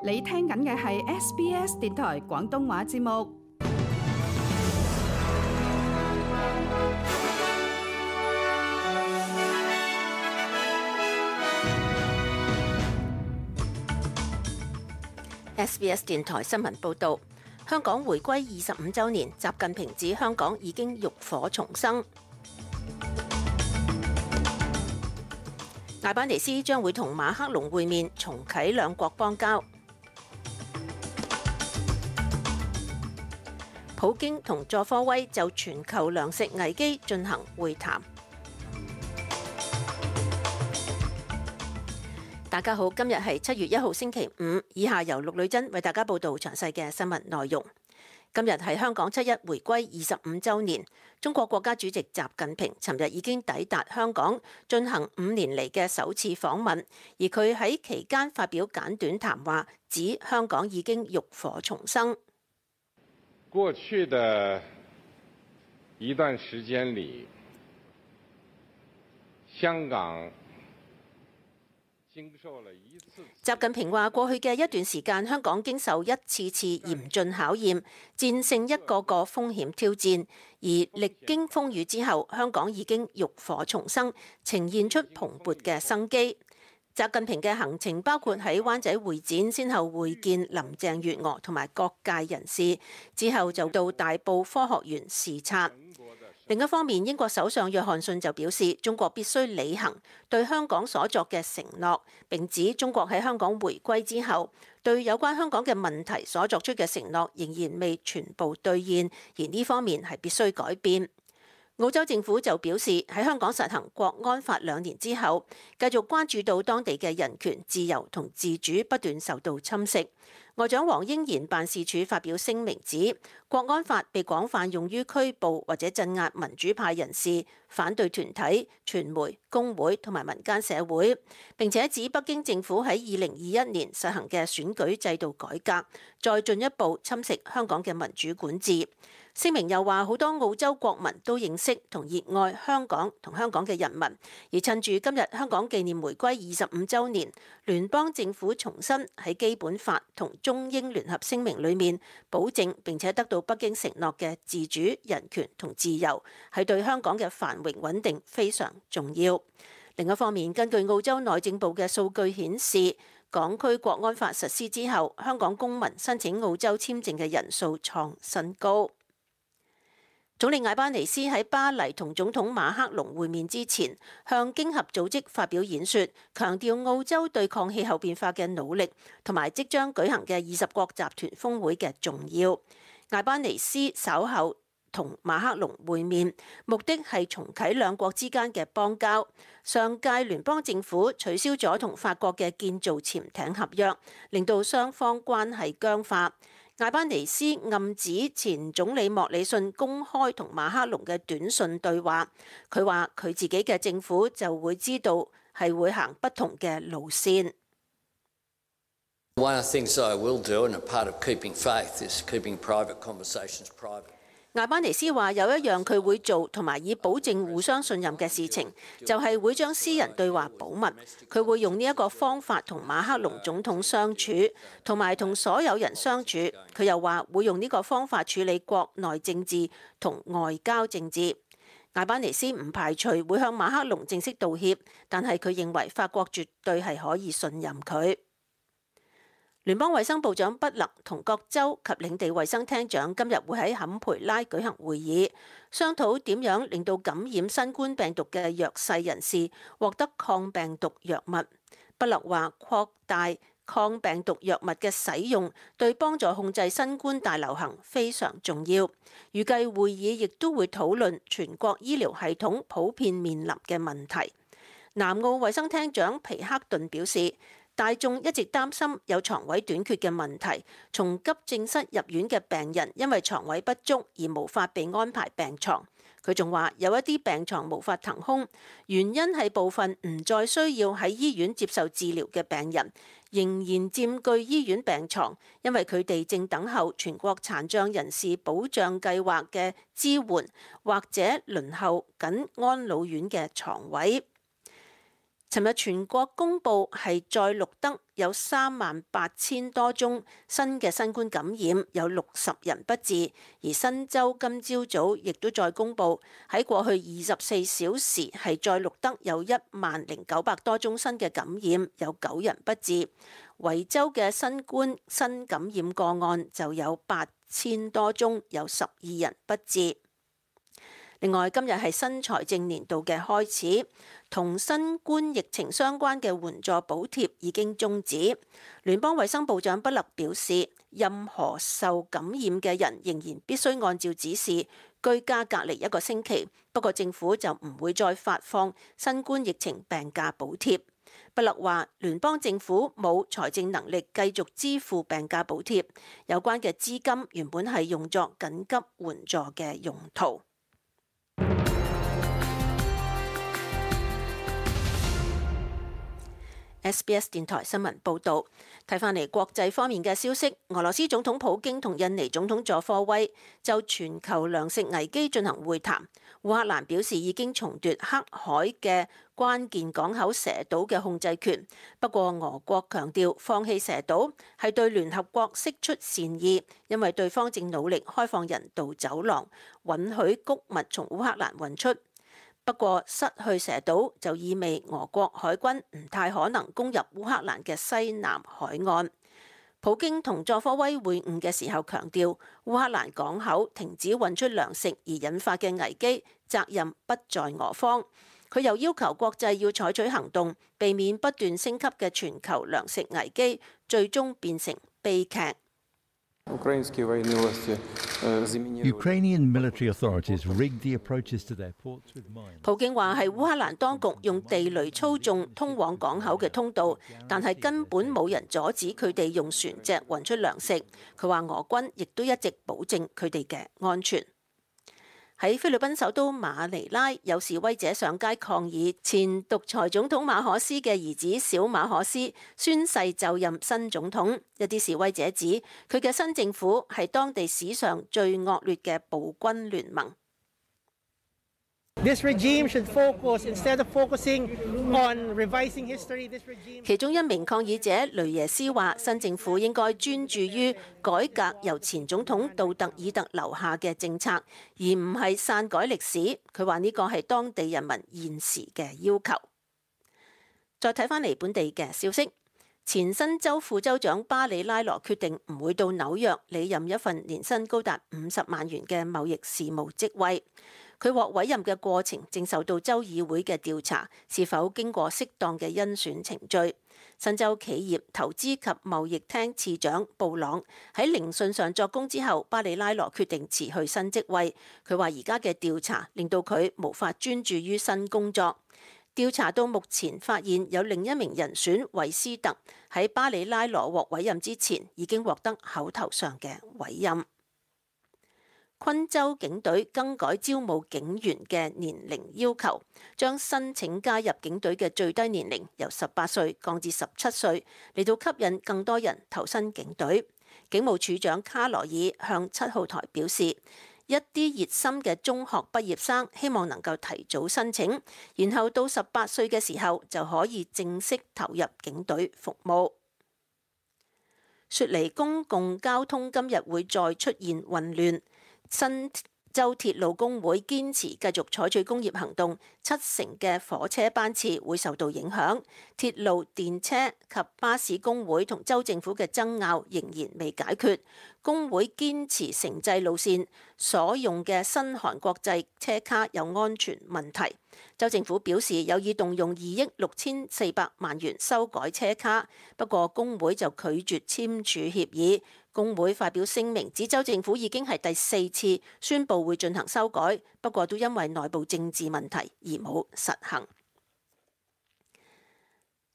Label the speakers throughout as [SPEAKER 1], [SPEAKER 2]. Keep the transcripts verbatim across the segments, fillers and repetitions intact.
[SPEAKER 1] 你聽緊嘅係 S B S 電台廣東話節目。
[SPEAKER 2] S B S 電台新聞報導，香港回歸二十五週年，習近平指香港已經浴火重生。艾班尼斯將會同馬克龍會面，重啟兩國邦交。普京同佐科威就全球糧食危機進行會談。大家好，今日係七月一號星期五，以下由陸女珍為大家報道詳細嘅新聞內容。今日係香港七一回歸二十五週年，中國國家主席習近平尋日已經抵達香港，進行五年嚟嘅首次訪問，而佢喺期間發表簡短談話，指香港已經浴火重生。
[SPEAKER 3] 過去的一段時間裡，香港
[SPEAKER 2] 習近平話：過去嘅一段時間，香港經受一次次嚴峻考驗，戰勝一個個風險挑戰，而歷經風雨之後，香港已經浴火重生，呈現出蓬勃嘅生機。習近平嘅行程包括喺灣仔會展先後會見林鄭月娥同埋各界人士，之後就到大埔科學園視察。另一方面，英國首相約翰遜就表示，中國必須履行對香港所作嘅承諾，並指中國喺香港回歸之後，對有關香港嘅問題所作出嘅承諾仍然未全部兌現，而呢方面係必須改變。澳洲政府就表示，喺香港實行國安法兩年之後，繼續關注到當地嘅人權、自由同自主不斷受到侵蝕。外長黃英賢辦事處發表聲明指，國安法被廣泛用於拘捕或者鎮壓民主派人士、反對團體、傳媒、工會同埋民間社會，並且指北京政府喺二零二一年實行嘅選舉制度改革，再進一步侵蝕香港嘅民主管治。聲明又話，好多澳洲國民都認識同熱愛香港同香港嘅人民，而趁住今日香港紀念回歸二十五週年，聯邦政府重申喺基本法同中英聯合聲明裏面保證並且得到北京承諾嘅自主、人權同自由，係對香港嘅繁榮穩定非常重要。另一方面，根據澳洲內政部嘅數據顯示，港區國安法實施之後，香港公民申請澳洲簽證嘅人數創新高。總理艾班尼斯喺巴黎同總統馬克龍會面之前，向經合組織發表演說，強調澳洲對抗氣候變化嘅努力，同埋即將舉行嘅二十國集團峰會嘅重要。艾班尼斯稍後同馬克龍會面，目的係重啟兩國之間嘅邦交。上屆聯邦政府取消咗同法國嘅建造潛艇合約，令到雙方關係僵化。艾班尼斯暗指前總理莫里遜公開同馬克龍嘅短信對話，佢話佢自己嘅政府就會知道係會行不同嘅路線。
[SPEAKER 4] One of the things I will do, and a part of keeping faith, is keeping private conversations private.
[SPEAKER 2] 艾班尼斯話有一樣佢會做同埋以保證互相信任嘅事情，就係會將私人對話保密。佢會用呢一個方法同馬克龍總統相處，同埋同所有人相處。佢又話會用呢個方法處理國內政治同外交政治。艾班尼斯唔排除會向馬克龍正式道歉，但係佢認為法國絕對係可以信任佢。聯邦衛生部長畢勒同各州及領地衛生廳長今日會喺坎培拉舉行會議，商討點樣令到感染新冠病毒嘅弱勢人士獲得抗病毒藥物。畢勒話擴大抗病毒藥物嘅使用對幫助控制新冠大流行非常重要。預計會議亦都會討論全國醫療系統普遍面臨嘅問題。南澳衛生廳長皮克頓表示，大眾一直擔心有床位短缺嘅問題，從急症室入院嘅病人因為床位不足而無法被安排病床。佢仲話有一啲病床無法騰空，原因係部分唔再需要喺醫院接受治療嘅病人仍然佔據醫院病床，因為佢哋正等候全國殘障人士保障計劃嘅支援，或者輪候緊安老院嘅床位。尋日全國公佈係再錄得有三萬八千多宗新嘅新冠感染，有六十人不治。而新州今朝早亦都再公佈喺過去二十四小時係再錄得有一萬零九百多宗新嘅感染，有九人不治。維州嘅新冠新感染個案就有八千多宗，有十二人不治。另外，今日係新財政年度嘅開始，同新冠疫情相關嘅援助補貼已經終止。聯邦衛生部長布勒表示，任何受感染嘅人仍然必須按照指示居家隔離一個星期，不過政府就唔會再發放新冠疫情病假補貼。布勒話，聯邦政府冇財政能力繼續支付病假補貼，有關嘅資金原本係用作緊急援助嘅用途。S B S 電台新聞報導，睇返嚟國際方面嘅消息，俄羅斯總統普京同印尼總統佐科威就全球糧食危機進行會談。烏克蘭表示已經重奪黑海嘅關鍵港口蛇島嘅控制權，不過俄國強調放棄蛇島係對聯合國釋出善意，因為對方正努力開放人道走廊，允許穀物從烏克蘭運出。不過失去蛇島就意味俄國海軍唔太可能攻入烏克蘭嘅西南海岸。普京同佐科威會晤嘅時候強調，烏克蘭港口停止運出糧食而引發嘅危機責任不在俄方。佢又要求國際要採取行動，避免不斷升級嘅全球糧食危機最終變成悲劇。
[SPEAKER 5] Ukrainian military authorities rigged the approaches to their ports with mines.
[SPEAKER 2] 普京話係烏克蘭當局用地雷操縱通往港口嘅通道，但係根本冇人阻止佢哋用船隻運出糧食。佢話俄軍亦都一直保證佢哋嘅安全。喺菲律賓首都馬尼拉，有示威者上街抗議前獨裁總統馬可斯嘅兒子小馬可斯宣誓就任新總統。一啲示威者指佢嘅新政府係當地史上最惡劣嘅暴君聯盟。
[SPEAKER 6] This regime should focus instead of focusing on revising history. This regime.
[SPEAKER 2] 其中一名抗議者雷耶斯話：新政府應該專注於改革由前總統杜特爾特留下嘅政策，而唔係篡改歷史。佢話呢個係當地人民現時嘅要求。再睇返嚟本地嘅消息，前新州副州長巴里拉羅決定唔會到紐約理任一份年薪高達五十萬元嘅貿易事務職位。佢獲委任嘅過程正受到州議會嘅調查，是否經過適當嘅甄選程序。新州企業投資及貿易廳次長布朗喺聆訊上作供之後，巴里拉羅決定辭去新職位。佢話而家嘅調查令到佢無法專注於新工作。調查到目前發現有另一名人選韋斯特喺巴里拉羅獲委任之前已經獲得口頭上嘅委任。昆州警隊更改招募警員嘅年齡要求，將申請加入警隊嘅最低年齡由十八歲降至十七歲，嚟到吸引更多人投身警隊。警務處長卡羅爾向七號台表示，一啲熱心嘅中學畢業生希望能夠提早申請，然後到十八歲嘅時候就可以正式投入警隊服務。雪梨公共交通今日會再出現混亂。新州鐵路工會堅持繼續採取工業行動，七成嘅火車班次會受到影響。鐵路、電車及巴士工會同州政府嘅爭拗仍然未解決。工會堅持城際路線所用嘅新韓國際車卡有安全問題。州政府表示有意動用二億六千四百萬元修改車卡，不過工會就拒絕簽署協議。工會發表聲明指州政府已經係第四次宣布會進行修改，不過都因為內部政治問題而冇實行。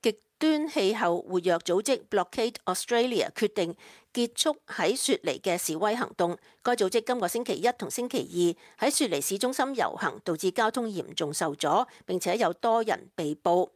[SPEAKER 2] 極端氣候活躍組織 Blockade Australia 決定結束喺雪梨嘅示威行動。該組織今個星期一同星期二喺雪梨市中心遊行，導致交通嚴重受阻，並且有多人被捕。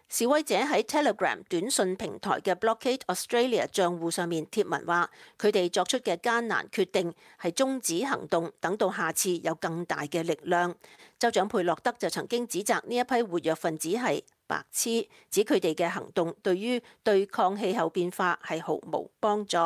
[SPEAKER 2] 示威者喺 Telegram 短信平台嘅 Blockade Australia 賬戶上面貼文話，佢哋作出嘅艱難決定係終止行動，等到下次有更大嘅力量。州長佩洛德就曾經指責呢一批活躍分子係白痴，指佢哋嘅行動對於對抗氣候變化係毫無幫助。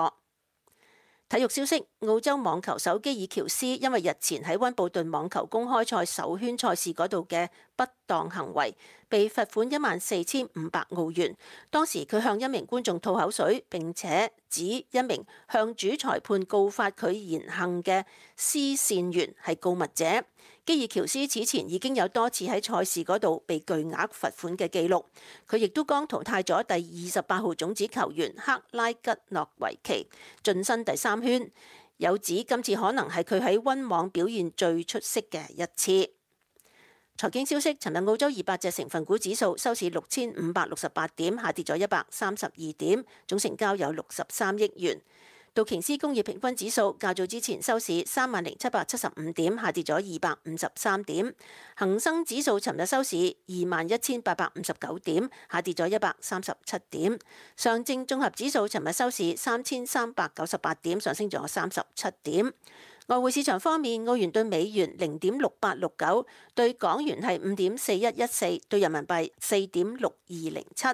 [SPEAKER 2] 體育消息：澳洲網球手基爾喬斯因為日前喺溫布頓網球公開賽首圈賽事嗰度嘅不當行為，被罰款一萬四千五百澳元。當時佢向一名觀眾吐口水，並且指一名向主裁判告發佢言行嘅施線員係告密者。基爾喬斯此前已經有多次喺賽事嗰度被巨額罰款嘅記錄，佢亦都剛淘汰咗第二十八號種子球員克拉吉諾維奇，晉身第三圈。有指今次可能係佢喺溫網表現最出色嘅一次。財經消息：尋日澳洲二百隻成分股指數收市六千五百六十八點，下跌咗一百三十二點，總成交有六十三億元。道瓊斯工業平均指數較早之前收市三萬零七百七十五點，下跌咗二百五十三點。恒生指數尋日收市二萬一千八百五十九點，下跌咗一百三十七點。上證綜合指數尋日收市三千三百九十八點，上升咗三十七點。外匯市場方面，澳元對美元零點六八六九，對港元係五點四一一四，對人民幣四點六二零七。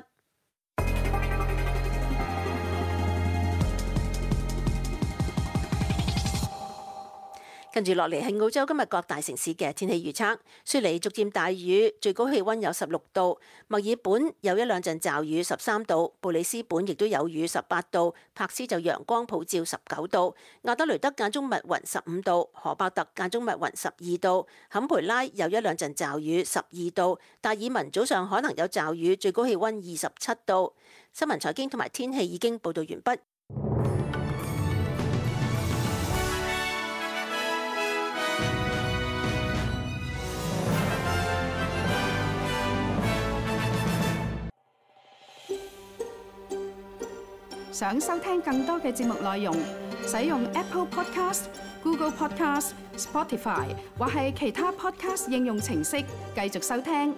[SPEAKER 2] 跟住落嚟係澳洲今日各大城市嘅天氣預測。雪梨逐漸大雨，最高氣温有十六度；墨爾本有一兩陣驟雨，十三度；布里斯本亦都有雨，十八度；柏斯就陽光普照，十九度；亞德雷德間中密雲，十五度；荷伯特間中密雲，十二度；坎培拉有一兩陣驟雨，十二度；達爾文早上可能有驟雨，最高氣温二十七度。新聞財經同埋天氣已經報導完畢。
[SPEAKER 1] 想收聽更多嘅節目內容，使用 Apple Podcast、Google Podcast、Spotify 或係其他 Podcast 應用程式繼續收聽。